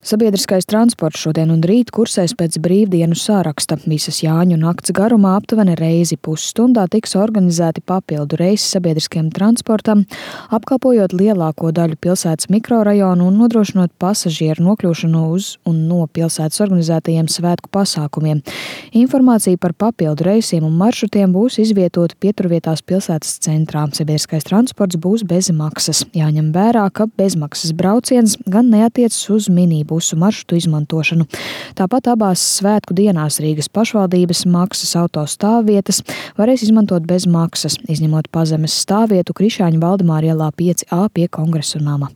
Sabiedriskais transports šodien un rīt kursēs pēc brīvdienu sāraksta. Visas Jāņu nakts garumā aptuveni reizi pusstundā tiks organizēti papildu reisi sabiedriskajam transportam, apkalpojot lielāko daļu pilsētas mikrorajonu un nodrošinot pasažieru nokļūšanu uz un no pilsētas organizētajiem svētku pasākumiem. Informācija par papildu reisiem un maršrutiem būs izvietota pieturvietās pilsētas centrā. Sabiedriskais transports būs bez maksas. Jāņem vērā, ka bezmaksas brauciens gan neatiecas uz minibusu maršrutu izmantošanu. Tāpat abās svētku dienās Rīgas pašvaldības maksas auto stāvvietas varēs izmantot bez maksas, izņemot pazemes stāvvietu Krišāņu Valdemāra ielā 5A pie Kongresa nama.